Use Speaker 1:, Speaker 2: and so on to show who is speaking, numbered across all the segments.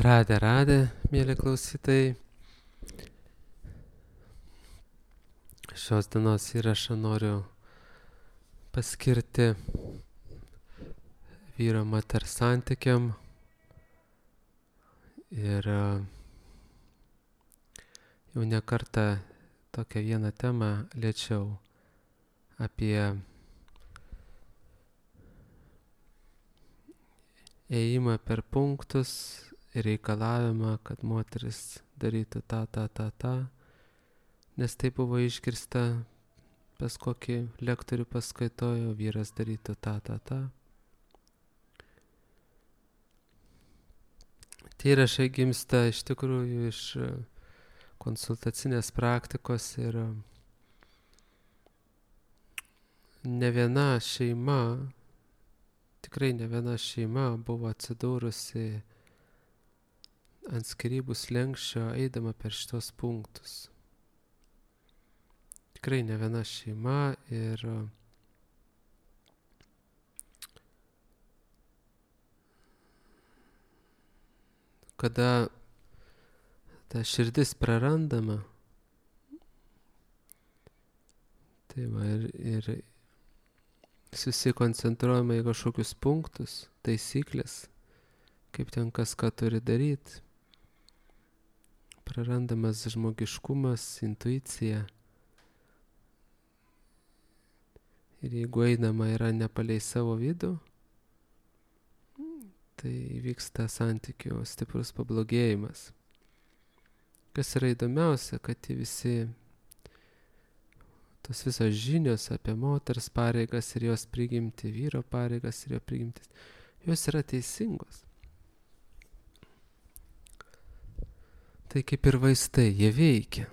Speaker 1: Radė, mėly klausytojai. Šios dienos įrašą noriu paskirti vyro moters santykiam ir jau ne kartą tokią vieną temą liečiau apie ėjimą per punktus ir reikalavimą, kad moteris darytų tą, nes tai buvo išgirsta pas kokį lektorių paskaitojo, vyras darytų tą. Tie įrašai gimsta iš tikrųjų iš konsultacinės praktikos ir ne viena šeima, tikrai ne viena šeima buvo atsidūrusi ant skyrybų slenksčio eidama per šitos punktus. Tikrai ne viena šeima ir kada ta širdis prarandama, tai va ir susikoncentruojama į kažkokius punktus, taisyklės, kaip ten kas ką turi daryti. Prarandamas žmogiškumas, intuicija. Ir jeigu einama yra ne palei savo vidų, tai vyksta santykių stiprus pablogėjimas. Kas yra įdomiausia, kad tos visos žinios apie moters pareigas ir jos prigimtį, vyro pareigas ir jo prigimtis, jos yra teisingos. Tai kaip ir vaistai, jie veikia,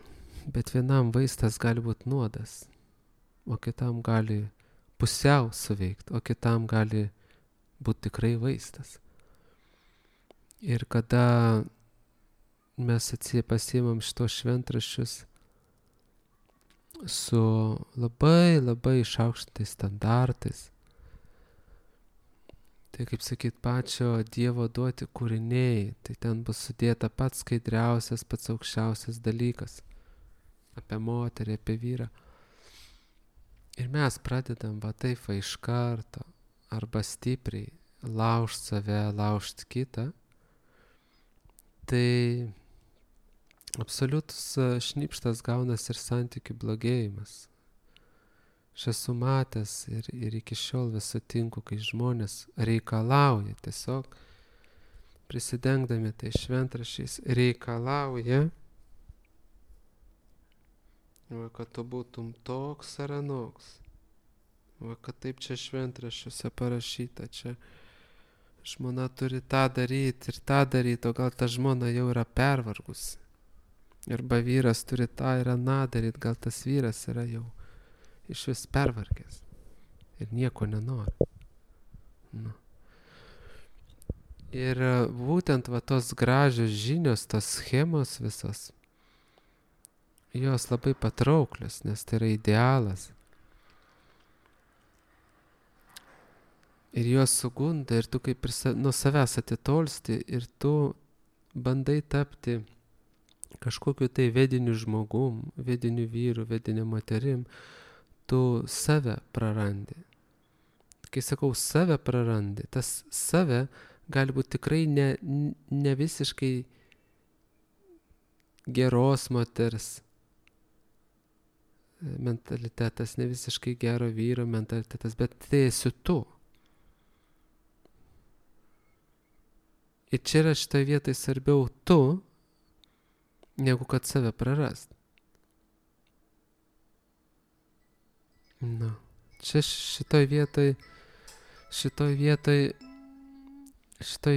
Speaker 1: bet vienam vaistas gali būti nuodas, o kitam gali pusiau suveikti, o kitam gali būti tikrai vaistas. Ir kada mes pasiimam šitos šventraščius su labai išaukštintais standartais, tai kaip sakyt, pačio Dievo duoti kūriniai, tai ten bus sudėta pats skaidriausias, pats aukščiausias dalykas apie moterį, apie vyrą. Ir mes pradedam va taip va iš karto arba stipriai laužt save, laužt kitą, tai absoliutus šnipštas gaunas ir santykių blogėjimas. Aš esu matęs ir iki šiol vis sutinku, kai žmonės reikalauja, tiesiog prisidengdami tai šventraščiais, reikalauja, kad tu būtum toks ar anoks, kad taip čia šventraščiuose parašyta, čia žmona turi tą daryti ir tą daryti, o gal ta žmona jau yra pervargusi. Arba vyras turi tą ir aną daryti, gal tas vyras yra jau iš vis pervargęs ir nieko nenori. Nu. Ir būtent va tos gražios žinios, tos schemos visos, jos labai patrauklios, nes tai yra idealas. Ir jos sugunda ir tu kaip ir nuo savęs atitolsti ir tu bandai tapti kažkokiu tai vediniu žmogum, vediniu vyru, vediniu moterim, tu save prarandi. Kai sakau save prarandi, tas save gali būti tikrai ne visiškai geros moters mentalitetas, ne visiškai gero vyro mentalitetas, bet tai esi tu. Ir čia yra šitoje vietoje svarbiau tu, negu kad save prarast. Nu, čia šitoj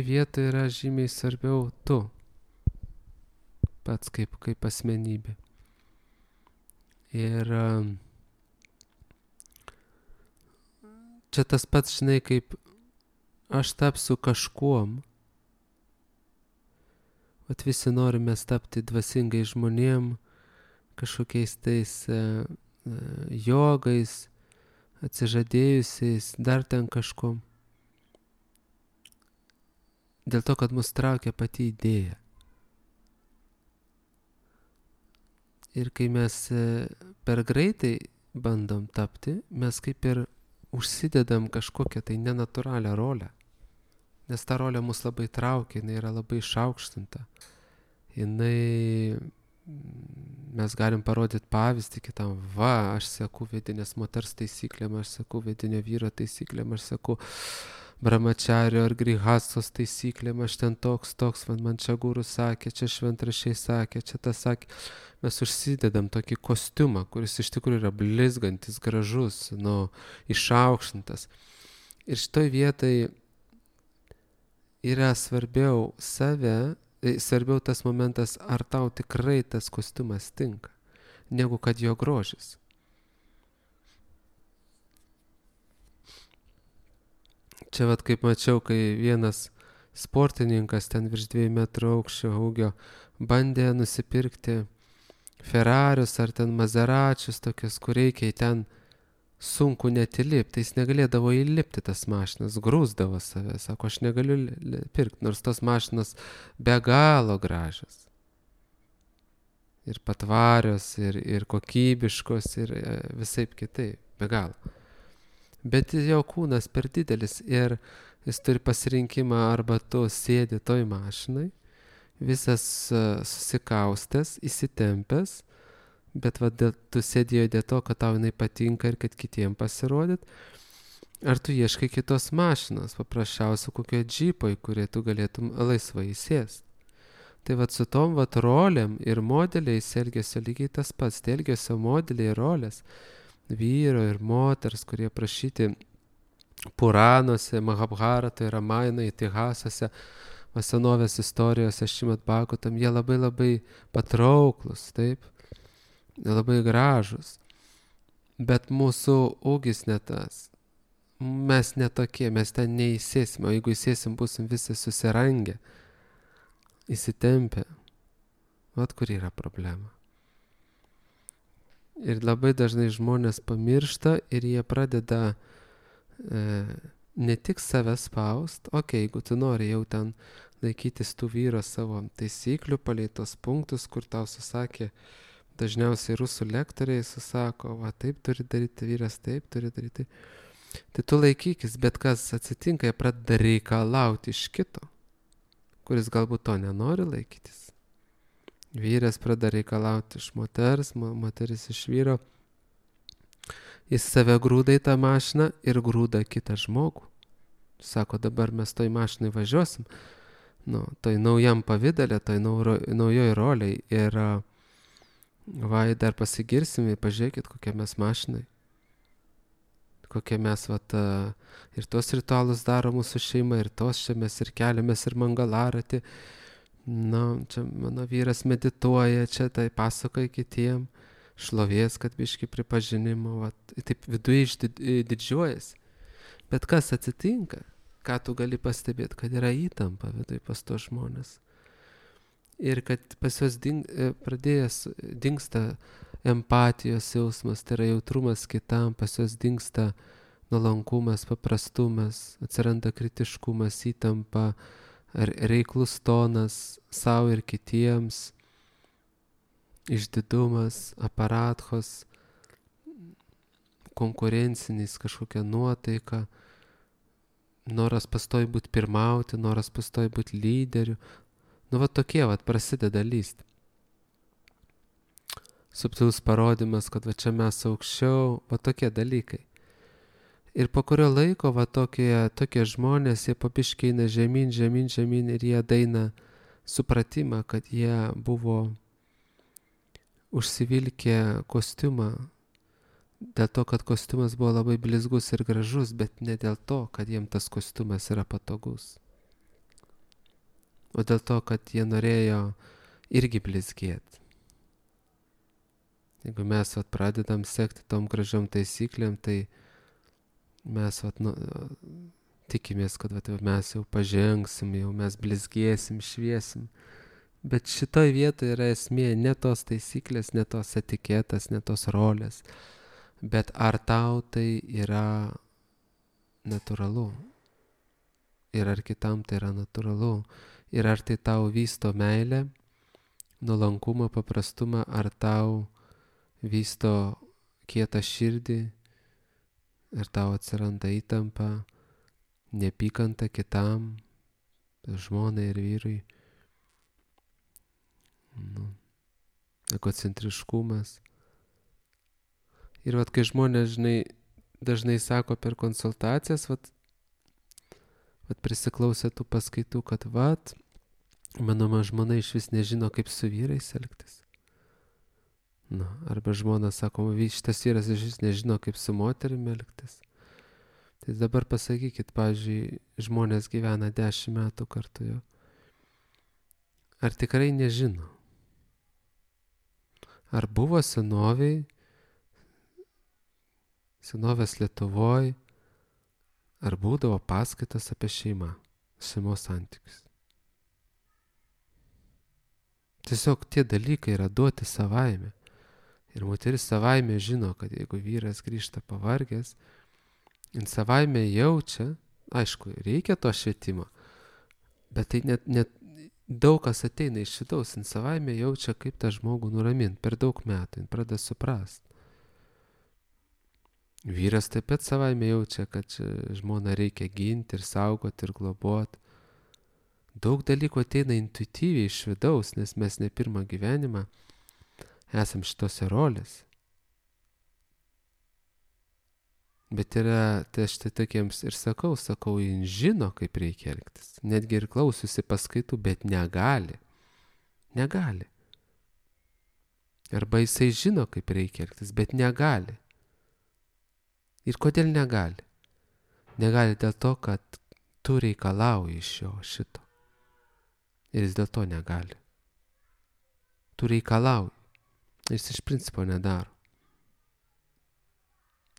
Speaker 1: vietoj yra žymiai svarbiau tu, pats kaip asmenybė. Ir čia tas pats, žinai, kaip aš tapsiu kažkuom. Vat visi norime tapti dvasingai žmonėm, kažkokiais tais jogais, atsižadėjusiais, dar ten kažkom. dėl to, kad mus traukia pati idėja. Ir kai mes per greitai bandom tapti, mes kaip ir užsidedam kažkokią tai nenatūralią rolę. Nes ta rolė mus labai traukia, jinai yra labai išaukštinta. Mes galim parodyti pavyzdį kitam, aš seku vidinės moters taisyklėm, aš seku vidinio vyro taisyklėm, aš seku brahmačario ar grihastos taisyklėm, aš ten toks, man čia guru sakė, čia šventraščiai sakė, čia tas sakė. Mes užsidedam tokį kostiumą, kuris iš tikrųjų yra blizgantis, gražus, išaukštintas. Ir šitoj vietai yra svarbiau svarbiau tas momentas, ar tau tikrai tas kostiumas tinka, negu kad jo grožis. Čia kaip mačiau, kai vienas sportininkas ten virš 2 metrų aukščio ūgio bandė nusipirkti Ferrarius ar ten Mazeračius tokius, kur reikia ten sunku net įlipti, jis negalėdavo įlipti tas mašinas, grūsdavo save, sako, aš negaliu pirkti, nors tos mašinas be galo gražios. Ir patvarios, ir kokybiškos, ir visaip kitaip, be galo. Bet jo kūnas per didelis ir jis turi pasirinkimą, arba tu sėdi toj mašinai, visas susikaustęs, įsitempęs, bet tu sėdėjo dėl to, kad tau jinai patinka ir kad kitiem pasirodyt, ar tu ieškai kitos mašinos, paprasčiausiai kokio džypo, į kurį tu galėtum laisvai įsėsti. Tai su tom rolėm ir modeliais elgesio lygiai tas pats, tai elgesio modeliai ir rolės vyro ir moters, kurie prašyti Puranuose, Mahabharatoje, Ramainoje, Itihasuose, senovės istorijose, Šrimad Bhagavatam, jie labai labai patrauklus, taip, labai gražus, bet mūsų ūgis ne tas, mes netokie, mes ten neįsėsime, o jeigu įsėsim, būsim visi susirangę, įsitempę, kur yra problema. Ir labai dažnai žmonės pamiršta ir jie pradeda ne tik save spaust, jeigu tu nori jau ten laikytis tų vyro savo taisyklių, palei tos punktus, kur tau susakė, dažniausiai rusų lektoriai susako, taip turi daryti vyras, taip turi daryti. Tai tu laikykis, bet kas atsitinka, jie pradeda reikalauti iš kito, kuris galbūt to nenori laikytis. Vyras pradeda reikalauti iš moters, moteris iš vyro. Jis save grūda į tą mašiną ir grūda kitą žmogų. Sako, dabar mes toj mašinai važiuosim, toj naujam pavidale, toj naujoj roliai ir dar pasigirsim, pažiūrėkit, kokie mes mašinai. Kokie mes ir tos ritualus daro mūsų šeima, ir tos čia mes ir keliamės ir mangalaratį. Čia mano vyras medituoja, čia tai pasakoja kitiem, šlovės, kad biški pripažinimo, taip viduje didžiuojasi. Bet kas atsitinka, ką tu gali pastebėti, kad yra įtampa viduje pas tos žmonės. Ir kad pas juos dingsta empatijos jausmas, tai yra jautrumas kitam, pas juos dingsta nuolankumas, paprastumas, atsiranda kritiškumas, įtampa, reiklus tonas savo ir kitiems, išdidumas, aparatkos, konkurencinis kažkokia nuotaika, noras pastoji būti pirmauti, noras pastoji būti lyderiu. Tokie prasideda lysti. Subtilus parodymas, kad čia mes aukščiau, tokie dalykai. Ir po kurio laiko tokie žmonės, jie pabiškai eina žemyn ir jie daina supratimą, kad jie buvo užsivilkę kostiumą, dėl to, kad kostiumas buvo labai blizgus ir gražus, bet ne dėl to, kad jiem tas kostiumas yra patogus, o dėl to, kad jie norėjo irgi blizgėti. Jeigu mes pradedam sekti tom gražiom taisyklėm, tai mes tikimės, kad mes jau pažengsim, jau mes blizgėsim, šviesim. Bet šitoj vietoje yra esmė ne tos taisyklės, ne tos etiketas, ne tos rolės, bet ar tau tai yra natūralu. ir ar kitam tai yra natūralu. Ir ar tai tau vysto meilę, nuolankumą, paprastumą, ar tau vysto kietą širdį, ar tau atsiranda įtampa, neapykanta kitam, žmonai ir vyrui, egocentriškumas. Ir kai žmonės dažnai sako per konsultacijas, prisiklausę tų paskaitų, kad mano žmona iš vis nežino, kaip su vyrais elgtis. Arba žmona sako, šitas vyras iš vis nežino, kaip su moterimi elgtis. Tai dabar pasakykit, pavyzdžiui, žmonės gyvena 10 metų kartu jo. Ar tikrai nežino? Ar buvo senovės Lietuvoj, ar būdavo paskaitas apie šeimos santykius? Tiesiog tie dalykai yra duoti savaime. Ir moteris savaime žino, kad jeigu vyras grįžta pavargęs, jin savaime jaučia, aišku, reikia to švietimo, bet tai net daug kas ateina iš vidaus, jin savaime jaučia, kaip tą žmogų nuramint. Per daug metų jin pradeda suprast. Vyras taip pat savaime jaučia, kad žmoną reikia ginti ir saugoti ir globoti. Daug dalykų ateina intuityviai iš vidaus, nes mes ne pirmą gyvenimą esam šitose rolės. Bet tai aš tai tokiems ir sakau, jin žino, kaip reikia elgtis. Netgi ir klausiusi paskaitų, bet negali. Negali. Arba jisai žino, kaip reikia elgtis, bet negali. Ir kodėl negali? Negali dėl to, kad tu reikalauji iš jo šito. Ir jis dėl to negali. Tu reikalauji. Jis iš principo nedaro.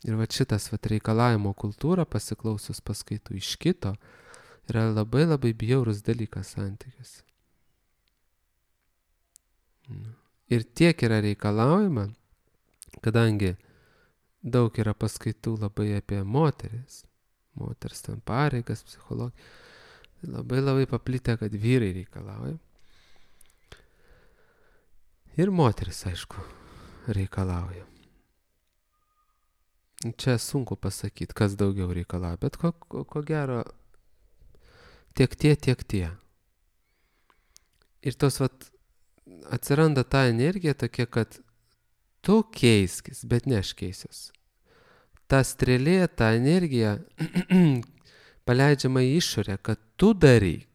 Speaker 1: Ir šitas reikalavimo kultūra, pasiklausius paskaitų iš kito, yra labai labai bjaurus dalykas santykiuose. Ir tiek yra reikalaujama, kadangi daug yra paskaitų labai apie moteris, moters ten pareigas, psichologiją, labai labai paplitę, kad vyrai reikalauja. Ir moteris, aišku, reikalauja. Čia sunku pasakyti, kas daugiau reikalauja, bet ko gero tiek tie. Ir tos atsiranda ta energija tokia, kad tu keiskis, bet ne aš keisiuos. Ta strėlė, ta energija paleidžiama į išorę, kad tu daryk.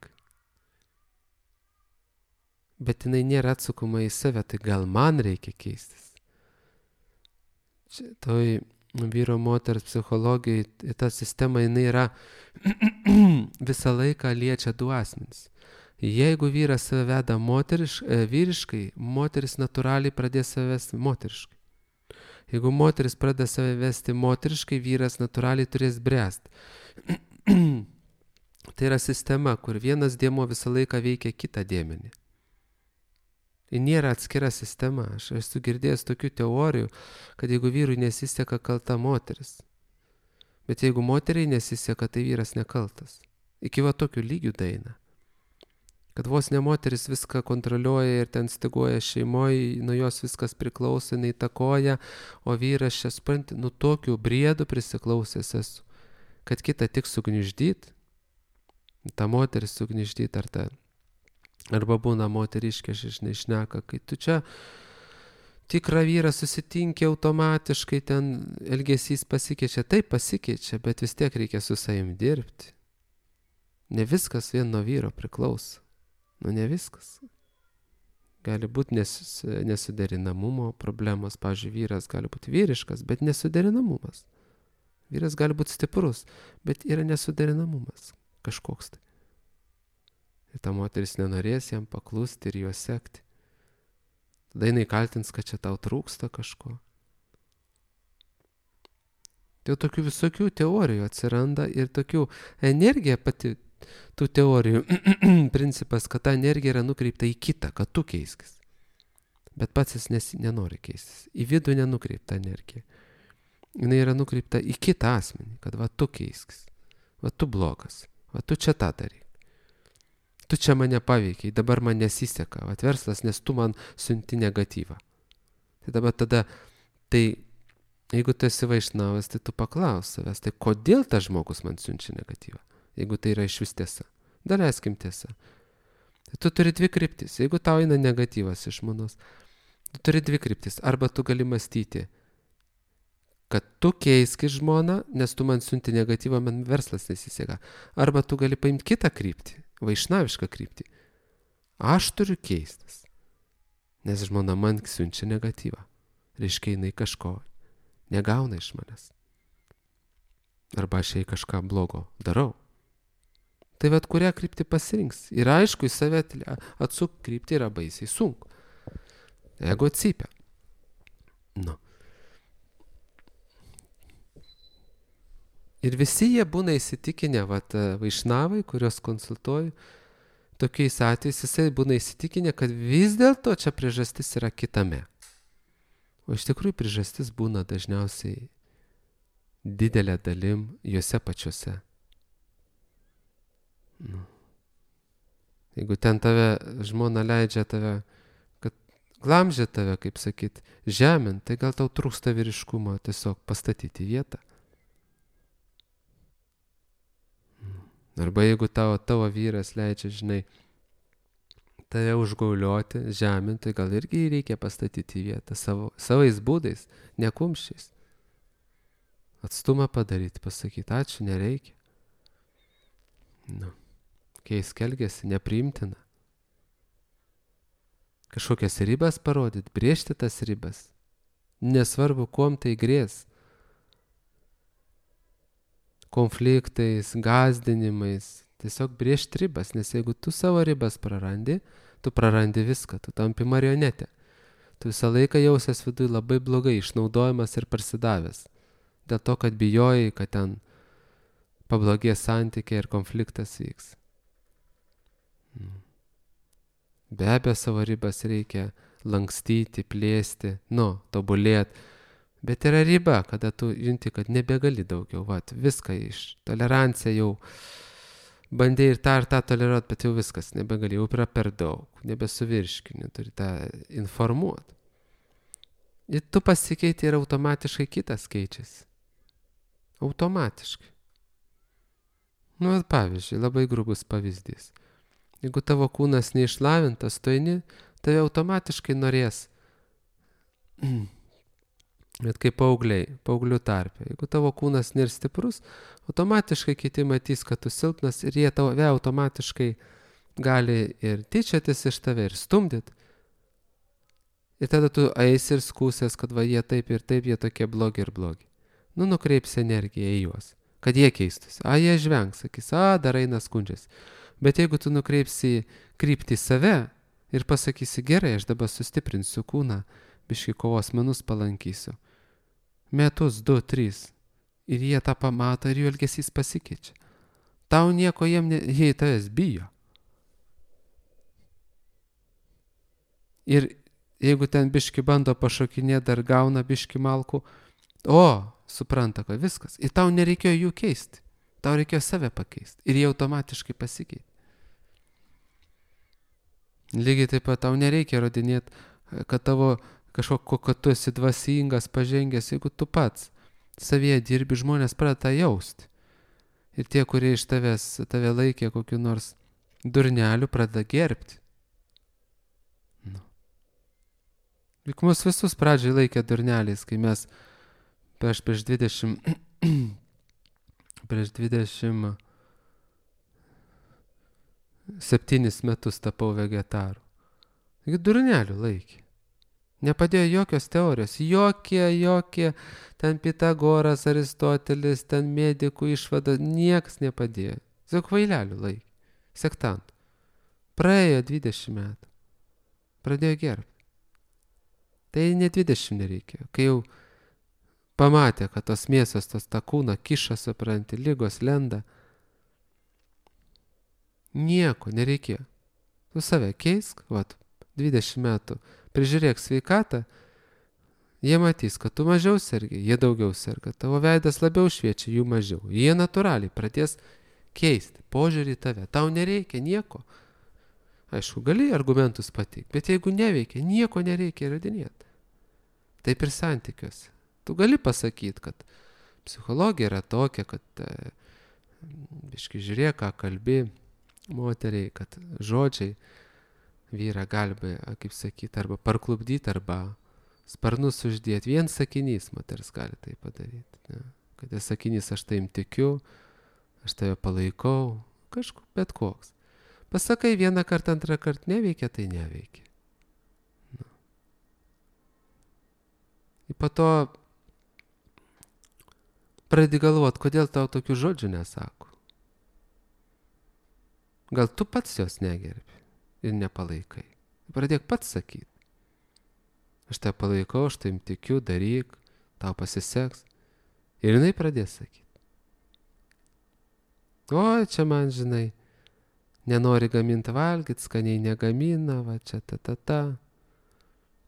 Speaker 1: Bet jinai nėra atsukama į save, tai gal man reikia keistis. Čia toj vyro moters psichologijai, ta sistema, jinai yra visą laiką liečia du asmenys. Jeigu vyras save veda vyriškai, moteris natūraliai pradės save vesti moteriškai. Jeigu moteris pradeda save vesti moteriškai, vyras natūraliai turės bręsti. Tai yra sistema, kur vienas dėmuo visą laiką veikia kitą dėmenį. Ir nėra atskira sistema. Aš esu girdėjęs tokių teorijų, kad jeigu vyrui nesiseka, kalta moteris. Bet jeigu moteriai nesiseka, tai vyras nekaltas. Iki tokių lygių daeina. Kad vos ne moteris viską kontroliuoja ir ten styguoja šeimoje, nuo jos viskas priklauso, jinai įtakoja, o vyras čia supranti, tokių briedų prisiklausęs esu, kad kitą tik sugniuždyt, tą moterį sugniuždyt arba būna moteriškė, žinai, šneka, kai tu čia tikrą vyrą susitinki automatiškai, ten elgesys pasikeičia, taip pasikeičia, bet vis tiek reikia su savim dirbti. Ne viskas vien nuo vyro priklauso. Ne viskas. Gali būti nesuderinamumo problemos. Pavyzdžiui, vyras gali būti vyriškas, bet nesuderinamumas. Vyras gali būti stiprus, bet yra nesuderinamumas kažkoks tai. Ir ta moteris nenorės jam paklusti ir juos sekti. Tada jinai kaltins, kad čia tau trūksta kažko. Tai tokių visokių teorijų atsiranda ir tokių energija pati tų teorijų principas, kad ta energija yra nukreipta į kitą, kad tu keiskis. Bet pats jis nenori keistis. Į vidų nenukreipta energija. Jis yra nukreipta į kitą asmenį, kad tu keiskis. Tu blogas. Va, tu čia tą daryk. Tu čia mane paveikiai, dabar man nesiseka. Va, verslas, nes tu man siunti negatyvą. Tai dabar tada, tai jeigu tu esi vaišnavas, tai tu paklaus savęs, tai kodėl tas žmogus man siunčia negatyvą? Jeigu tai yra išvis tiesa. Daleiskim tiesa. Tai tu turi dvi kryptis. Jeigu tau eina negatyvas iš žmonos, tu turi dvi kryptis. Arba tu gali mąstyti, kad tu keiski žmoną, nes tu man siunti negatyvą, man verslas nesiseka. Arba tu gali paimti kitą kryptį, vaišnavišką kryptį. Aš turiu keistis, nes žmona man siunčia negatyvą. Reiškia, jinai kažko negauna iš manęs. Arba aš jai kažką blogo darau. Tai vat kurią kryptį pasirinks. Ir aišku, į save atsuk kryptį yra baisiai sunku. Ego cypia. Nu. Ir visi jie būna įsitikinę, vat vaišnavai, kurios konsultuoju, tokiais atvejais jisai būna įsitikinę, kad vis dėlto čia priežastis yra kitame. O iš tikrųjų priežastis būna dažniausiai didelė dalim juose pačiuose. Nu. Jeigu ten tave žmona leidžia tave, kad glamžia tave, kaip sakyt, žemint, tai gal tau trūksta vyriškumo tiesiog pastatyti vietą. Arba jeigu tavo vyras leidžia, žinai, tave užgaulioti, žemint, tai gal irgi reikia pastatyti vietą savais būdais, ne kumščiais. Atstumą padaryti, pasakyti, ačiū, nereikia. Nu. Keisk elgesį, nepriimtina. Kažkokias ribas parodyti, brėžti tas ribas. Nesvarbu, kuom tai grės. Konfliktais, gąsdinimais. Tiesiog brėžti ribas, nes jeigu tu savo ribas prarandi, tu prarandi viską, tu tampi marionetė. Tu visą laiką jausies viduj labai blogai, išnaudojamas ir parsidavęs. Dėl to, kad bijojai, kad ten pablogės santykiai ir konfliktas vyks. Be abejo, savo ribas reikia lankstyti, plėsti, tobulėti. Bet yra riba, kada tu junti, kad nebegali daugiau. Vat, viską iš tolerancija jau bandai ir tą toleruoti, bet jau viskas nebegali, jau yra per daug, nebesuvirškini, turi tą informuoti. Ir tu pasikeiti ir automatiškai kitas keičiasi. Automatiškai. Pavyzdžiui, labai grubus pavyzdys. Jeigu tavo kūnas neišlavintas, tu eini, tave automatiškai norės. Bet kaip paauglių tarpe. Jeigu tavo kūnas nėra stiprus, automatiškai kiti matys, kad tu silpnas ir jie tave automatiškai gali ir tyčiotis iš tave ir stumdyti. Ir tada tu eisi ir skūsės, kad va jie taip ir taip, jie tokie blogi ir blogi. Nukreipsi energiją į juos, kad jie keistųsi. Jie žvengs, sakys, dar eina skundžiasi. Bet jeigu tu nukreipsi kryptį į save ir pasakysi, gerai, aš dabar sustiprinsiu kūną, biškį kovos menus palankysiu. Metus, 2, 3. Ir jie tą pamato ir jų elgesys pasikeičia. Tau nieko jie į tavęs bijo. Ir jeigu ten biškį bando pašokinėti, dar gauna biškį malkų, supranta, kad viskas. Ir tau nereikėjo jų keisti. Tau reikėjo save pakeisti. Ir jie automatiškai pasikeitė. Lygiai taip pat tau nereikia rodinėti, kad kad tu esi dvasingas, pažengęs, jeigu tu pats savyje dirbi, žmonės pradeda jausti. Ir tie, kurie iš tave laikė kokiu nors durneliu, pradeda gerbti. Juk mus visus pradžiai laikė durneliais, kai mes prieš 27 metus tapau vegetaru. Durnelių laikė. Nepadėjo jokios teorijos, jokie, ten Pitagoras, Aristotelis, ten medikų išvada, niekas nepadėjo. Tiesiog kvailelių laikė, sektantų. Praėjo 20 metų, pradėjo gerbti. Tai ne 20 nereikėjo, kai jau pamatė, kad tos mėsos, tą kūną kiša, supranti, lygos lenda. Nieko nereikėjo. Tu save keisk, 20 metų, prižiūrėk sveikatą, jie matys, kad tu mažiau sergi, jie daugiau serga, tavo veidas labiau šviečia, jų mažiau. Jie natūraliai pradės keisti požiūrį į tave. Tau nereikia nieko. Aišku, gali argumentus pateikti, bet jeigu neveikia, nieko nereikia įrodinėti. Taip ir santykiuose. Tu gali pasakyti, kad psichologija yra tokia, kad biškai žiūrėk, ką kalbi moteriai, kad žodžiai vyrą gali, kaip sakyti, arba parklubdyti, arba sparnus uždėti. Vien sakinys moters gali tai padaryti. Ne? Kad sakinys aš taim tikiu, aš tave palaikau, kažkur bet koks. Pasakai vieną kartą, antrą kartą neveikia, tai neveikia. Na. Ir po to pradedi galvoti, kodėl tau tokių žodžių nesako. Gal tu pats jos negerbi ir nepalaikai. Pradėk pats sakyti. Aš tave palaikau, aš taim tikiu, daryk, tau pasiseks. Ir jinai pradės sakyti. O, čia man, žinai, nenori gaminti valgyti, skaniai negamina, va čia ta.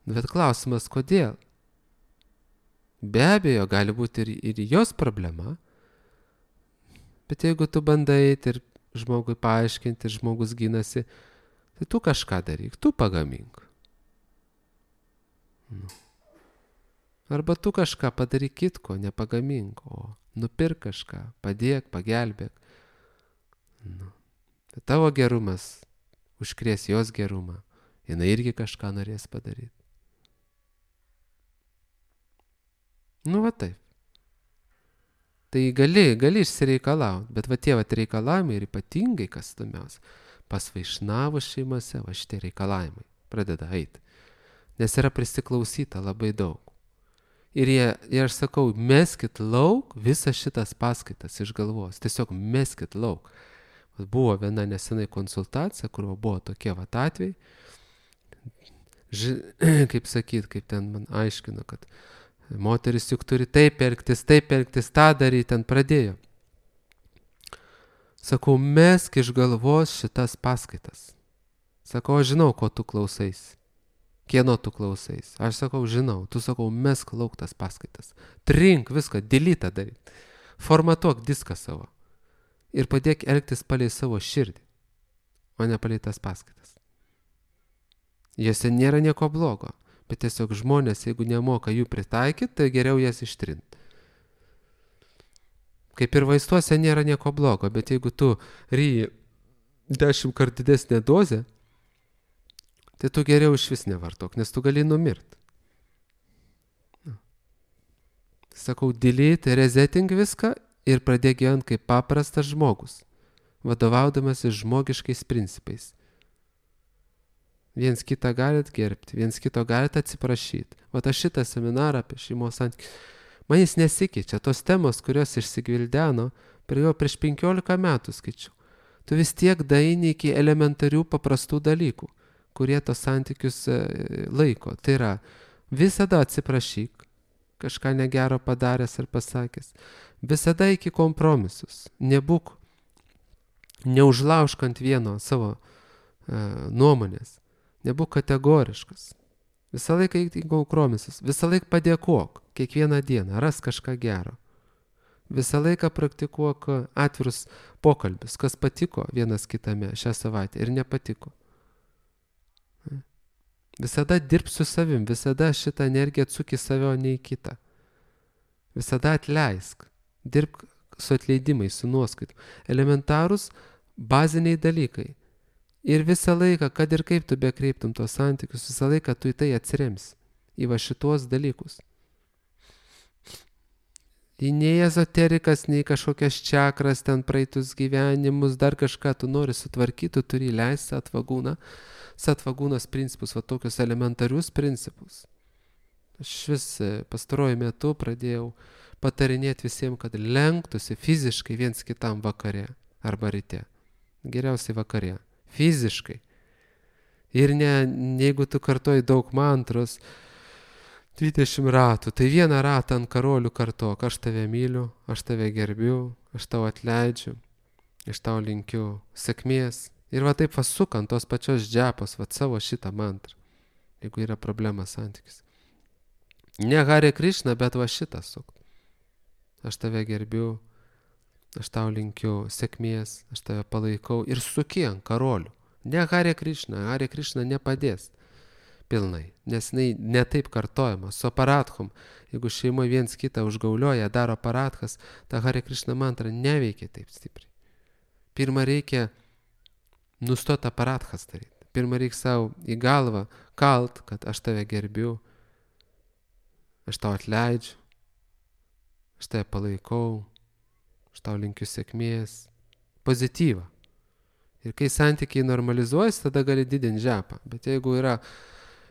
Speaker 1: Bet klausimas, kodėl? Be abejo, gali būti ir jos problema. Bet jeigu tu bandai ir žmogui paaiškinti, ir žmogus ginasi, tai tu kažką daryk, tu pagamink. Nu. Arba tu kažką padaryk kitko, nepagamink, o nupirk kažką, padėk, pagelbėk. Nu. Tai tavo gerumas užkrės jos gerumą. Jinai irgi kažką norės padaryti. Nu va taip. Tai gali išsireikalauti, bet va tie reikalavimai ir ypatingai, kas įdomiausia, pas vaišnavų šeimose va šitie reikalavimai pradeda eiti. Nes yra prisiklausyta labai daug. Ir aš sakau, meskit lauk visas šitas paskaitas iš galvos. Tiesiog meskit lauk. Buvo viena nesenai konsultacija, kur buvo tokie atvejai. Kaip sakyt, kaip ten man aiškino, kad moteris juk turi taip elgtis, tą daryti, ten pradėjo. Sakau, mesk iš galvos šitas paskaitas. Sakau, aš žinau, ko tu klausais. Kieno tu klausais? Aš sakau, žinau. Tu sakau, mesk lauk tas paskaitas. Trink viską, delete daryt. Formatuok diską savo. Ir padėk elgtis palei savo širdį, o ne palei tas paskaitas. Jose nėra nieko blogo, bet tiesiog žmonės, jeigu nemoka jų pritaikyti, tai geriau jas ištrinti. Kaip ir vaistuose nėra nieko blogo, bet jeigu tu ryji 10 kartų didesnę dozę, tai tu geriau iš vis nevartok, nes tu gali numirti. Sakau, delete, resetting viską ir pradėk gyventi kaip paprastas žmogus, vadovaudamasis žmogiškais principais. Viens kitą galit gerbti, viens kito galit atsiprašyti. Vat aš šitą seminarą apie šeimos santykius, man jis nesikeičia. Tos temos, kurios išsigvildeno, prieš 15 metų skaičiau. Tu vis tiek daeini iki elementarių paprastų dalykų, kurie tos santykius laiko. Tai yra, visada atsiprašyk, kažką negero padaręs ar pasakęs. Visada iki kompromisus. Neužlaužk ant vieno savo nuomonės. Nebūk kategoriškas. Visą laiką iki kompromisus. Visą laiką padėkok. Kiekvieną dieną. Ras kažką gero. Visą laiką praktikuok atvirus pokalbius. Kas patiko vienas kitame šią savaitę ir nepatiko. Visada dirbk su savim. Visada šitą energiją atsuk į save, o ne į kitą. Visada atleisk. Dirbk su atleidimais, su nuoskaitu. Elementarūs baziniai dalykai. Ir visą laiką, kad ir kaip tu bekreiptum tos santykius, visą laiką tu į tai atsiremsi. Į va šitos dalykus. Į nei ezoterikas, nei kažkokias čakras, ten praeitus gyvenimus, dar kažką tu nori sutvarkyti, tu turi leisti satvagūnos principus, va tokius elementarius principus. Aš vis pastaruoju metu pradėjau patarinėti visiems, kad lenktųsi fiziškai viens kitam vakare arba ryte. Geriausiai vakare. Fiziškai. Ir jeigu tu kartoji daug mantros, 20 ratų, tai vieną ratą ant karolių kartok, aš tave myliu, aš tave gerbiu, aš tau atleidžiu, aš tau linkiu sėkmės. Ir va taip vasukant tos pačios džepos, va savo šitą mantrą, jeigu yra problema santykis. Ne Hare Krishna, bet va šitą sukt. Aš tave gerbiu, aš tau linkiu sėkmės, aš tave palaikau ir suki ant karolių. Ne Hare Krishna nepadės pilnai, nes jinai netaip kartojama. Su aparatchom, jeigu šeimoje viens kitą užgaulioja, daro aparatchas, ta Hare Krishna mantra neveikia taip stipriai. Pirma reikia nustoti aparatchas daryti. Pirma reikia savo į galvą kalt, kad aš tave gerbiu, aš tau atleidžiu, aš tave palaikau, aš tau linkiu sėkmės, pozityvą. Ir kai santykiai normalizuojasi, tada gali didinti žepą. Bet jeigu yra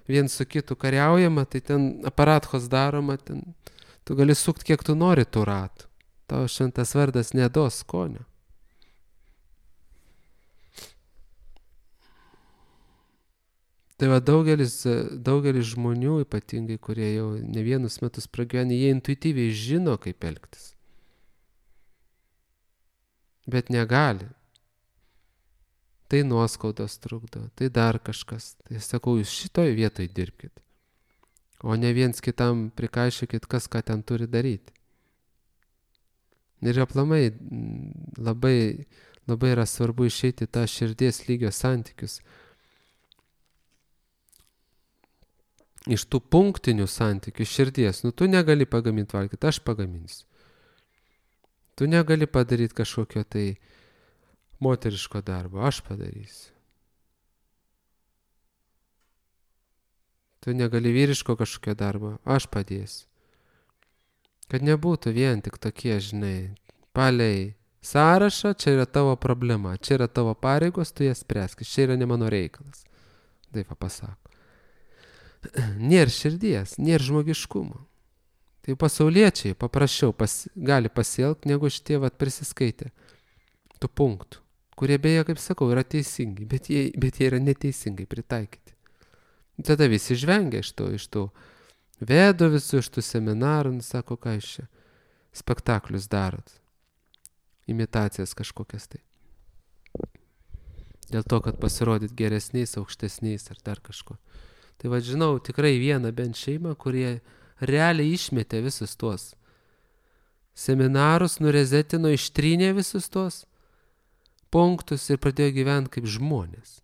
Speaker 1: vien su kitu kariaujama, tai ten aparatchos daroma, ten tu gali sukti kiek tu nori tų ratų. Tavo šventas vardas neduos skonio. Tai va daugelis žmonių, ypatingai, kurie jau ne vienus metus pragyvenę, jie intuityviai žino, kaip elgtis. Bet negali. Tai nuoskaudos trukdo, tai dar kažkas. Tai sakau, jūs šitoj vietoj dirbkit. O ne viens kitam prikaišykit, kas ką ten turi daryti. Ir aplamai labai yra svarbu išeiti tą širdies lygio santykius. Iš tų punktinių santykių širdies, tu negali pagaminti valgyti, aš pagaminsiu. Tu negali padaryti kažkokio tai moteriško darbo, aš padarysiu. Tu negali vyriško kažkokio darbo, aš padėsiu. Kad nebūtų vien tik tokie, žinai, palei sąrašą, čia yra tavo problema, čia yra tavo pareigos, tu jas spręskis, čia yra ne mano reikalas. Taip pasako. Nėra širdies, nėra žmogiškumo. Tai pasauliečiai paprasčiau gali pasielgti, negu šitie prisiskaitę tų punktų, kurie beje, kaip sakau, yra teisingi, bet jie yra neteisingai pritaikyti. Tada visi žvengia iš tų vedų visų, iš tų seminarų, sako, ką iš čia spektaklius darot, imitacijas kažkokias tai. Dėl to, kad pasirodyt geresniais, aukštesniais ar dar kažko. Tai žinau tikrai vieną bent šeimą, kurie realiai išmetė visus tuos seminarus, nurezetino, ištrynė visus tuos punktus ir pradėjo gyventi kaip žmonės.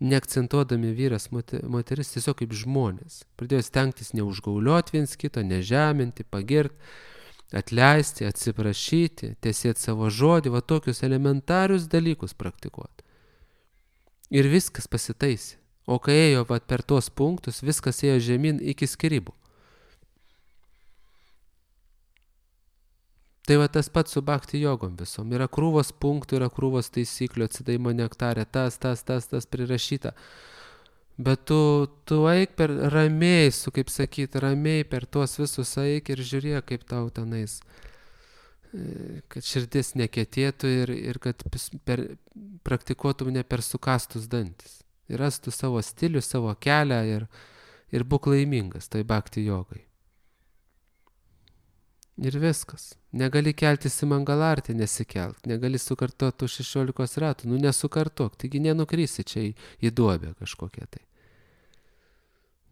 Speaker 1: Neakcentuodami vyras, moteris, tiesiog kaip žmonės. Pradėjo stengtis neužgaulioti viens kito, nežeminti, pagirti, atleisti, atsiprašyti, tiesėti savo žodį, tokius elementarius dalykus praktikuoti. Ir viskas pasitaisė. O kai ėjo per tuos punktus, viskas ėjo žemyn iki skyrybų. Tai tas pats su bhakti jogom visom. Yra krūvos punktų, yra krūvos taisyklių, atsidavimo nektarė, tas prirašyta. Bet tu eik per ramiai, kaip sakyti, ramiai per tuos visus eik ir žiūrėk, kaip tau tenais, kad širdis nekentėtų ir kad praktikuotum ne per sukastus dantis. Ir rastų savo stilių, savo kelią ir būk laimingas toj bhakti jogai. Ir viskas. Negali keltis į mangalartį, nesikelk. Negali sukartoti tų 16 ratų. Nesukartok, taigi nenukrysi čia į duobę kažkokią tai.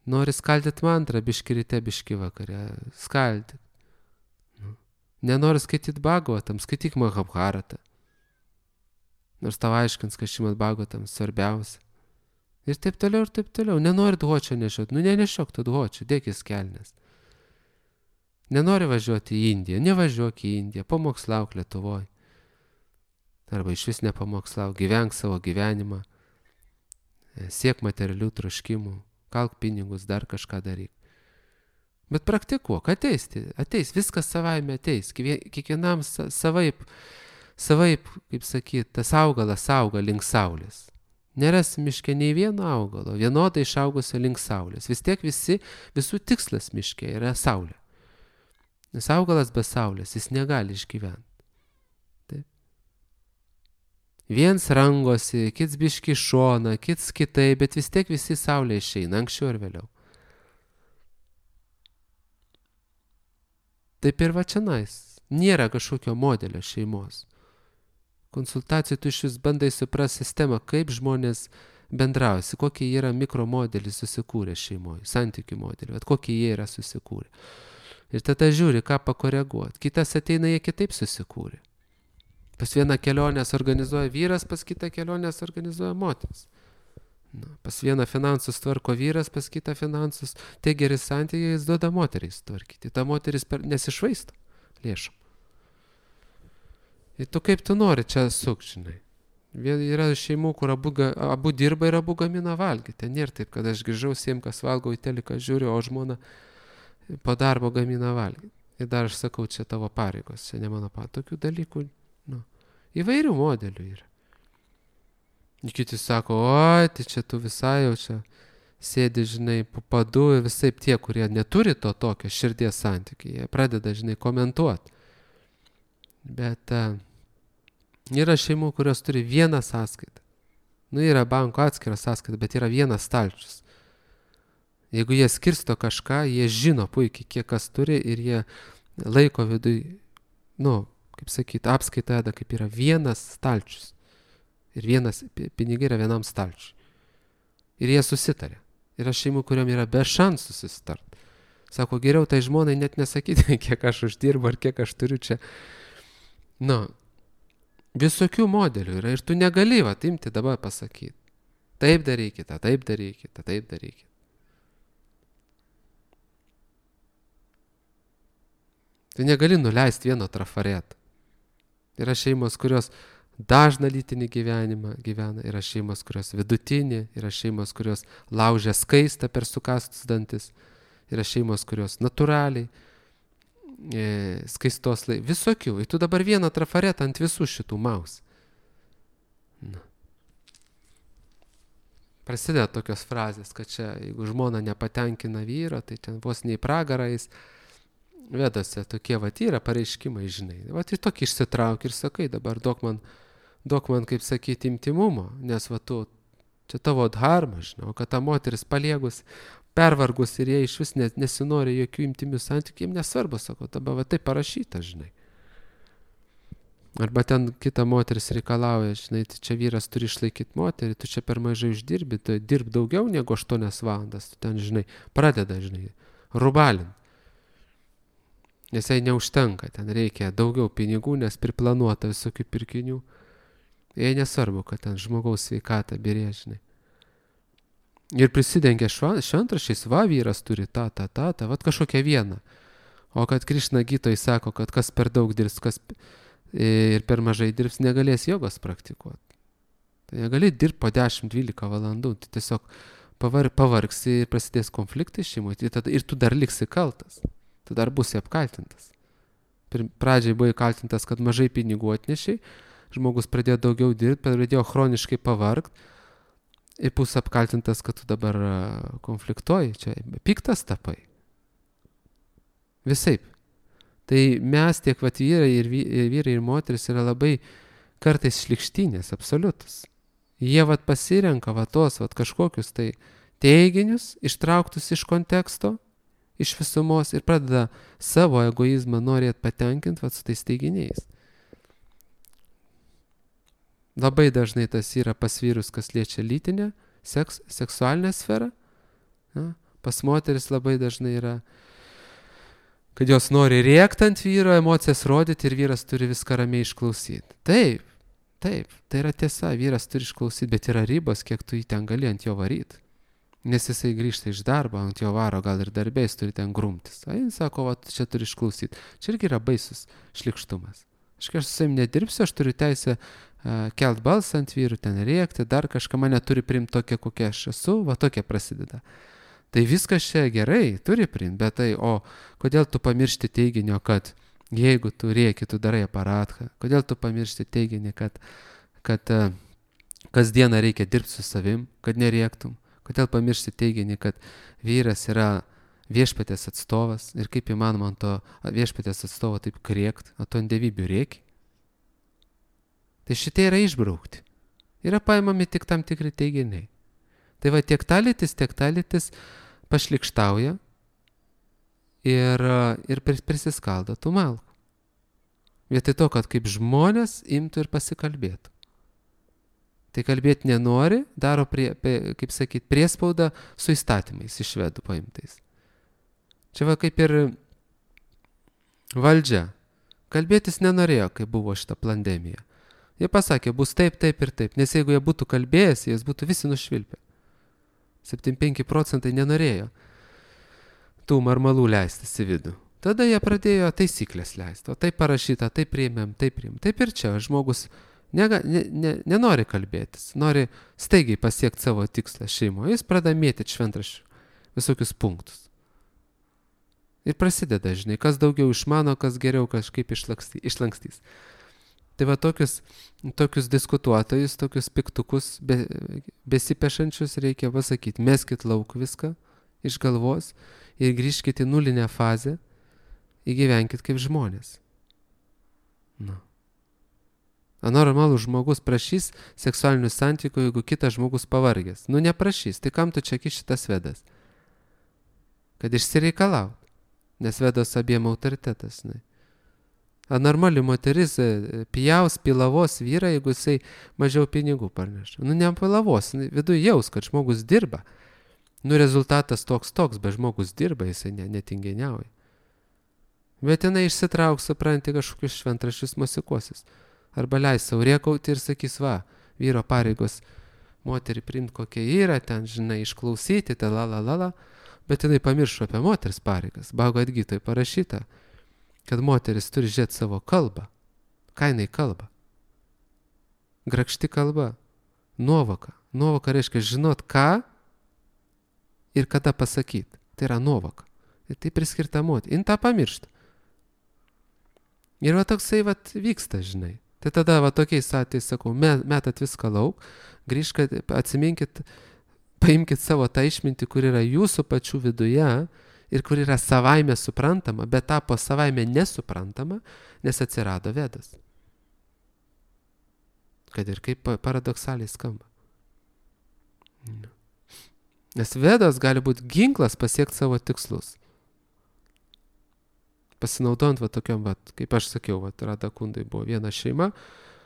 Speaker 1: Nori skaldyti mantrą, biški ryte, biški vakare. Skaldyk. Nenori skaityti Bhagavatam, skaityk Mahabharatą. Nors tau aiškins, kad Šrimad Bhagavatam svarbiausia. Ir taip toliau, ir taip toliau. Nenori dhočio nešioti. Nenešiok to dhočio, dėkis kelnes. Nenori važiuoti į Indiją, nevažiuok į Indiją, pamokslauk Lietuvoj. Arba iš vis nepamokslauk, gyvenk savo gyvenimą, siek materialių troškimų, kalk pinigus, dar kažką daryk. Bet praktikuok, ateis, viskas savaime ateis, kiekvienam savaip, kaip sakyt, tas augalas auga link saulės. Neras miške nei vieno augalo, vienodai išaugusio link saulės. Vis tiek visų tikslas miške yra saulė. Nes augalas be saulės, jis negali išgyventi. Taip. Viens rangosi, kits biški šona, kits kitai, bet vis tiek visi saulė išeina, anksčiau ar vėliau. Taip ir čionais, nėra kažkokio modelio šeimos. Konsultacijų tu iš vis bandai suprasti sistemą, kaip žmonės bendrausi, kokį jie yra mikromodelį susikūrę šeimoje, santykių modelį, kokį jie yra susikūrę. Ir tada žiūri, ką pakoreguoti. Kitas ateina, jie kitaip susikūrė. Pas vieną kelionės organizuoja vyras, pas kitą kelionės organizuoja moteris. Pas vieną finansus tvarko vyras, pas kitą finansus. Tai geri santykiai, jis duoda moteriai tvarkyti. Ta moteris nesišvaisto lėšom. Ir tu kaip tu nori čia žinai. Yra šeimų, kur abu dirba ir abu gamina valgyti. Nėra taip, kad aš grįžau, kas valgau į teliką žiūriu, o žmona po darbo gamina valgyti. Ir dar aš sakau, čia tavo pareigos, čia ne mano pareigos. Tokių dalykų, įvairių modelių yra. Kiti sako, oi, tai čia tu visai jau čia sėdi, žinai, po padu ir visai tie, kurie neturi to tokio širdies santykiai, jie pradeda, žinai, komentuoti. Bet yra šeimų, kurios turi vieną sąskaitą. Yra banko atskira sąskaita, bet yra vienas stalčius. Jeigu jie skirsto kažką, jie žino puikiai, kiek kas turi ir jie laiko viduj, kaip sakyti, apskaita, kaip yra vienas stalčius. Ir vienas pinigai yra vienam stalčiui. Ir jie susitarė. Yra šeimų, kuriam yra be šansų susitart. Sako, geriau tai žmonai net nesakyti, kiek aš uždirbu ar kiek aš turiu čia. Visokių modelių yra ir tu negali imti dabar pasakyti. Taip darykite, taip darykite, taip darykite. Tu negali nuleisti vieno trafareto. Yra šeimos, kurios dažną lytinį gyvenimą gyvena, yra šeimos, kurios vidutinį, yra šeimos, kurios laužia skaistą per sukastus dantis, yra šeimos, kurios natūraliai, skaistos visokių. Ir tu dabar vieną trafaretą ant visų šitų maus. Prasideda tokios frazės, kad čia, jeigu žmona nepatenkina vyro, tai ten vos nei pragarais. Vedose tokie yra pareiškimai, žinai. Ir tokį išsitrauk ir sakai, dabar duok man, kaip sakyti, intimumo, nes čia tavo dharma, žinai, o kad ta moteris paliegus, pervargus ir jie iš vis nesinori jokių intimių santykių, jiems nesvarbu, sako, dabar tai parašyta, žinai. Arba ten kita moteris reikalauja, žinai, tai čia vyras turi išlaikyti moterį, tu čia per mažai uždirbi, tu dirb daugiau negu 8 valandas, tu ten, žinai, pradeda, žinai, rubalint. Nes jai neužtenka, ten reikia daugiau pinigų, nes priplanuota visokių pirkinių. Jai nesvarbu, kad ten žmogaus sveikata birė, žinai. Ir prisidengia šventraščiais, vyras turi tą, kažkokią vieną. O kad Krišna Gitoj sako, kad kas per daug dirbs, kas ir per mažai dirbs, negalės jogos praktikuoti. Tai negali dirbti po 10-12 valandų, tai tiesiog pavargsi ir prasidės konfliktai šeimoje ir tu dar liksi kaltas. Tu dar būsi apkaltintas. Pradžiai buvai kaltintas, kad mažai pinigų atnešiai, žmogus pradėjo daugiau dirbti, pradėjo chroniškai pavargti ir bus apkaltintas, kad tu dabar konfliktuoji, čia piktas tapai. Visaip. Tai mes tiek vyrai ir moteris yra labai kartais šlikštynės, absoliutus. Jie pasirenka tos kažkokius tai teiginius, ištrauktus iš konteksto, iš visumos ir pradeda savo egoizmą norėt patenkinti su tais teiginiais. Labai dažnai tas yra pas vyrus, kas liečia lytinę, seksualinę sferą. Pas moteris labai dažnai yra, kad jos nori rėkti ant vyro, emocijas rodyti ir vyras turi viską ramiai išklausyti. Taip, tai yra tiesa, vyras turi išklausyti, bet yra ribos, kiek tu jį ten gali ant jo varyti. Nes jisai grįžta iš darbo, ant jo varo, gal ir darbės turi ten grumtis. Jis sako, čia turi išklausyti. Čia irgi yra baisus šlikštumas. Aš su savim nedirbsiu, aš turiu teisę kelt balsą ant vyrų, ten rėkti, dar kažką mane turi priimti tokia, kokia aš esu, tokia prasideda. Tai viskas čia gerai, turi priimti, bet o kodėl tu pamiršti teiginio, kad jeigu tu rėki, tu darai aparatką, kodėl tu pamiršti teiginį, kad kasdieną reikia dirbti su savim, kad nerėktum. Kodėl pamiršti teiginį, kad vyras yra viešpatės atstovas ir kaip įmanoma ant to viešpatės atstovo taip kriekt, o to ant dievybių rėki. Tai šitie yra išbraukti. Yra paimami tik tam tikri teiginiai. Tai tiek ta lytis pašlikštauja ir prisiskaldo tų malkų. Vietoj to, kad kaip žmonės imtų ir pasikalbėtų. Tai kalbėti nenori, daro, kaip sakyti, priespaudą su įstatymais iš švedų paimtais. Čia kaip ir Valdžia. Kalbėtis nenorėjo, kai buvo šita pandemija. Jie pasakė, bus taip, taip ir taip, nes jeigu jie būtų kalbėjęs, jis būtų visi nušvilpę. 75% nenorėjo tų marmalų leistis į vidų. Tada jie pradėjo taisyklės leisti, o taip parašyta, taip priėmėm, taip priėmėm. Taip ir čia žmogus nenori kalbėtis, nori staigiai pasiekti savo tikslą šeimoje, jis pradeda mėtyti šventraščių visokius punktus. Ir prasideda, žinai, kas daugiau išmano, kas geriau kažkaip išlankstys. Tai va tokius diskutuotojus, tokius piktukus besipešančius reikia pasakyti, meskit lauk viską iš galvos ir grįžkit į nulinę fazę, įgyvenkit kaip žmonės. Na. Normalus žmogus prašys seksualinių santykių, jeigu kitas žmogus pavargęs. Neprašys, tai kam tu čia šitas vedas? Kad išsireikalaut, nes vedas abiem autoritetas. Normali moteris pijaus, pilavos vyrą, jeigu jisai mažiau pinigų parneša. Nepilavos, viduje jaus, kad žmogus dirba. Rezultatas toks, bet žmogus dirba, jisai netingeniauja. Bet jinai išsitrauks, supranti, kažkokius šventraščius mosikuosis. Arba leis savo rėkauti ir sakys, va, vyro pareigos moterį priimti kokia yra, ten, žinai, išklausyti, bet jinai pamiršo apie moters pareigas. Bhagavad Gitoj parašyta, kad moteris turi žiūrėti savo kalbą. Ką jinai kalba? Grakšti kalba. Nuovoka. Nuovoka reiškia žinot ką ir kada pasakyti. Tai yra nuovoka. Ir tai priskirta moteriai. Jin tą pamiršta. Ir va toksai vyksta, žinai. Tai tada tokiais atvejais sakau, metat viską lauk, grįžkit, atsiminkit, paimkit savo tą išmintį, kur yra jūsų pačių viduje ir kur yra savaime suprantama, bet tapo savaime nesuprantama, nes atsirado vedas. Kad ir kaip paradoksaliai skamba. Nes vedas gali būti ginklas pasiekti savo tikslus. Pasinaudojant tokiam, kaip aš sakiau, Radha Kundai buvo viena šeima,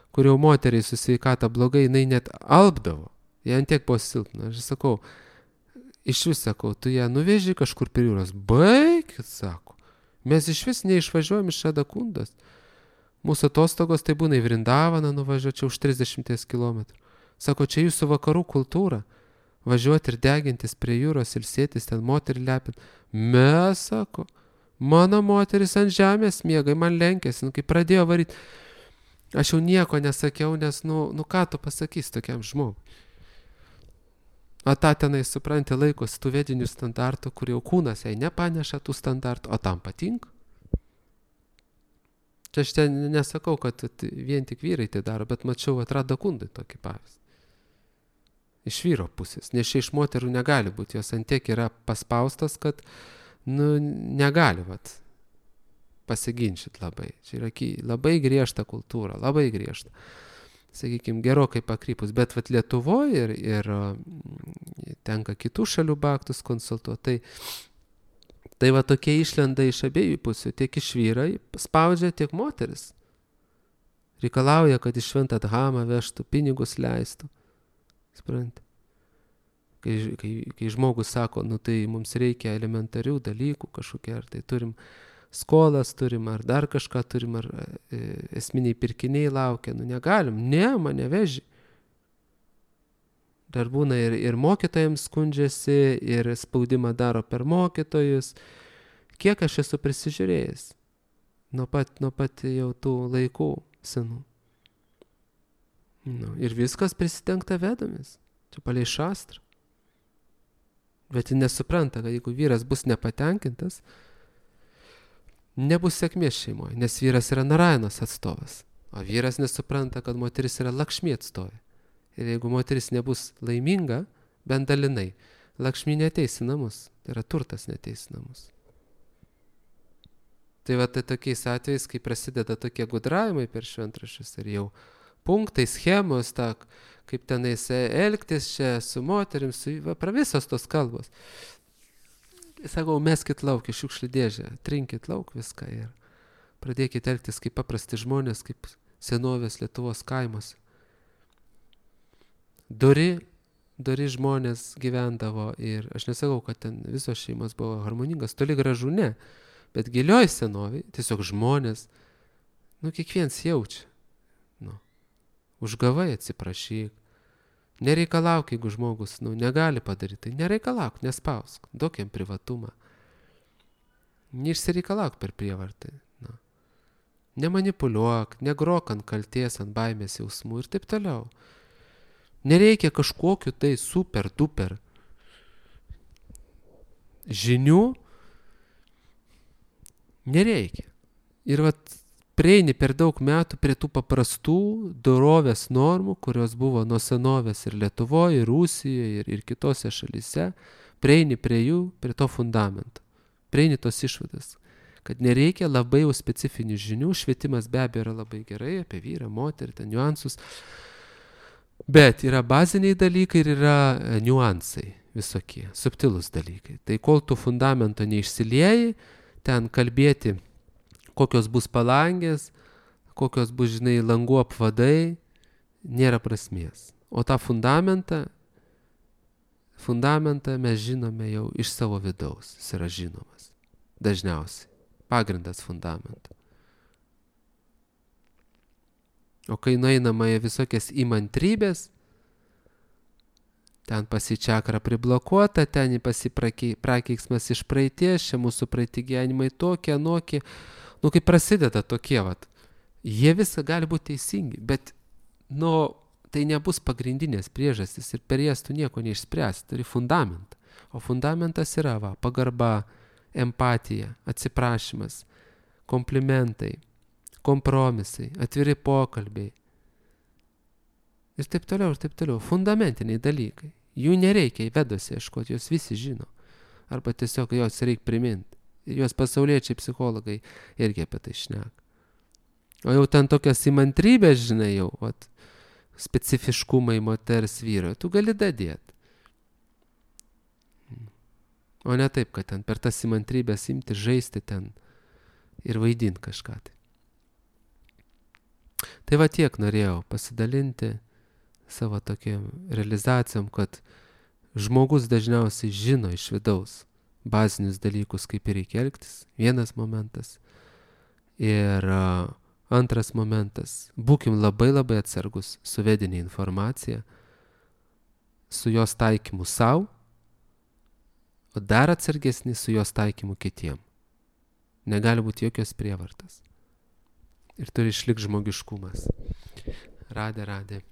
Speaker 1: kur jau moteriai su sveikata blogai, jinai net alpdavo. Jie ant tiek buvo silpna. Aš sakau, iš vis sakau, tu ją nuveži kažkur prie jūros. Baikit, sako. Mes iš vis neišvažiuojam iš Radha Kundos. Mūsų atostogos tai būna į Vrindavaną nuvažiuoti už 30 km. Sako, čia jūsų vakarų kultūra. Važiuoti ir degintis prie jūros, ilsėtis, ten moterį lepint. Mes, sako, mano moteris ant žemės miega, man lenkėsi, kai pradėjo varyti. Aš jau nieko nesakiau, nes, ką tu pasakys tokiam žmogui. O tą tenai, supranti, laikosi tų vedinių standartų, kur jau kūnas jai nepaneša tų standartų, o tam patinka. Čia aš ten nesakau, kad vien tik vyrai tai daro, bet mačiau Radha Kundai tokį pavyzdį. Iš vyro pusės, nes čia iš moterų negali būti, jos ant tiek yra paspaustas, kad negali pasiginčyti labai. Čia yra labai griežta kultūra, labai griežta. Sakykime, gerokai pakrypus, bet Lietuvoje ir tenka kitų šalių baktus konsultuoti. Tai tokie išlenda iš abiejų pusių, tiek iš vyrai spaudžia, tiek moteris. Reikalauja, kad iš šventą dhamą vežtų, pinigus leistų. Supranti? Kai žmogus sako, tai mums reikia elementarių dalykų kažkokie, ar tai turim skolas, turim, ar dar kažką turim, ar esminiai pirkiniai laukia, negalim, mane veži. Dar būna ir mokytojams skundžiasi, ir spaudimą daro per mokytojus. Kiek aš esu prisižiūrėjęs nuo pat jau tų laikų senų. Ir viskas prisidengta vedomis. Čia palei šastrą. Bet jis nesupranta, kad jeigu vyras bus nepatenkintas, nebus sėkmės šeimoje, nes vyras yra Narayanos atstovas. O vyras nesupranta, kad moteris yra Lakšmi atstovė. Ir jeigu moteris nebus laiminga, bent dalinai, Lakšmi neateis į namus. Tai yra turtas neateis į namus. Tai tai tokiais atvejais, kai prasideda tokie gudravimai per šventraščius ir jau punktai, schemos, kaip tenais elgtis čia su moterim, visos tos kalbos. Sakau, meskit lauk į šiukšlių dėžę, trinkit lauk viską ir pradėkit elgtis kaip paprasti žmonės, kaip senovės Lietuvos kaimuose. Dori žmonės gyvendavo ir aš nesakau, kad ten visos šeimos buvo harmoningas, toli gražu ne, Bet gilioj senovėj tiesiog žmonės, kiekvienas jaučia. Užgavai atsiprašyk. Nereikalauk, jeigu žmogus, negali padaryti. Tai nereikalauk, nespausk. Duok jam privatumą. Neišsireikalauk per prievartą. Nemanipuliuok, negrok ant kalties, ant baimės jausmų ir taip toliau. Nereikia kažkokiu tai super duper žinių. Nereikia. Ir prieini per daug metų prie tų paprastų dorovės normų, kurios buvo nuo senovės ir Lietuvoje, ir Rusijoje, ir kitose šalyse. Prieini prie jų, prie to fundamento. Prieini tos išvadas, kad nereikia labai jau specifinių žinių. Švietimas be abejo yra labai gerai apie vyrą, moterį, ten niuansus. Bet yra baziniai dalykai ir yra niuansai visokie, subtilūs dalykai. Tai kol tu fundamento neišsilieji, ten kalbėti, kokios bus palangės, kokios bus, langų apvadai, nėra prasmės. O tą fundamentą mes žinome jau iš savo vidaus. Jis yra žinomas. Dažniausiai. Pagrindas fundamento. O kai nueinama į visokias įmantrybės, ten pasičakra priblokuota, ten prakeiksmas iš praeities, čia mūsų praeiti gyvenimai tokie, anokie. Kai prasideda tokie, jie visą gali būti teisingi, bet, tai nebus pagrindinės priežastys ir per jas tu nieko neišspręs, turi fundamentą. O fundamentas yra, pagarba, empatija, atsiprašymas, komplimentai, kompromisai, atviri pokalbiai. Ir taip toliau, ir taip toliau. Fundamentiniai dalykai. Jų nereikia į vedose ieškoti, jos visi žino. Arba tiesiog jos reikia priminti. Ir jos pasauliečiai psichologai irgi apie tai šneka. O jau ten tokias įmantrybės, jau, specifiškumai moters vyro, tu gali dadėti. O ne taip, kad ten per tas įmantrybės imti, žaisti ten ir vaidinti kažką. Tai tiek norėjau pasidalinti savo tokiam realizacijom, kad žmogus dažniausiai žino iš vidaus bazinius dalykus, kaip ir reikia elgtis. Vienas momentas. Ir antras momentas. Būkim labai labai atsargus su vedinė informacija, su jos taikymu savo, o dar atsargesni su jos taikymu kitiem. Negali būti jokios prievartos. Ir turi išlikti žmogiškumas. Radė.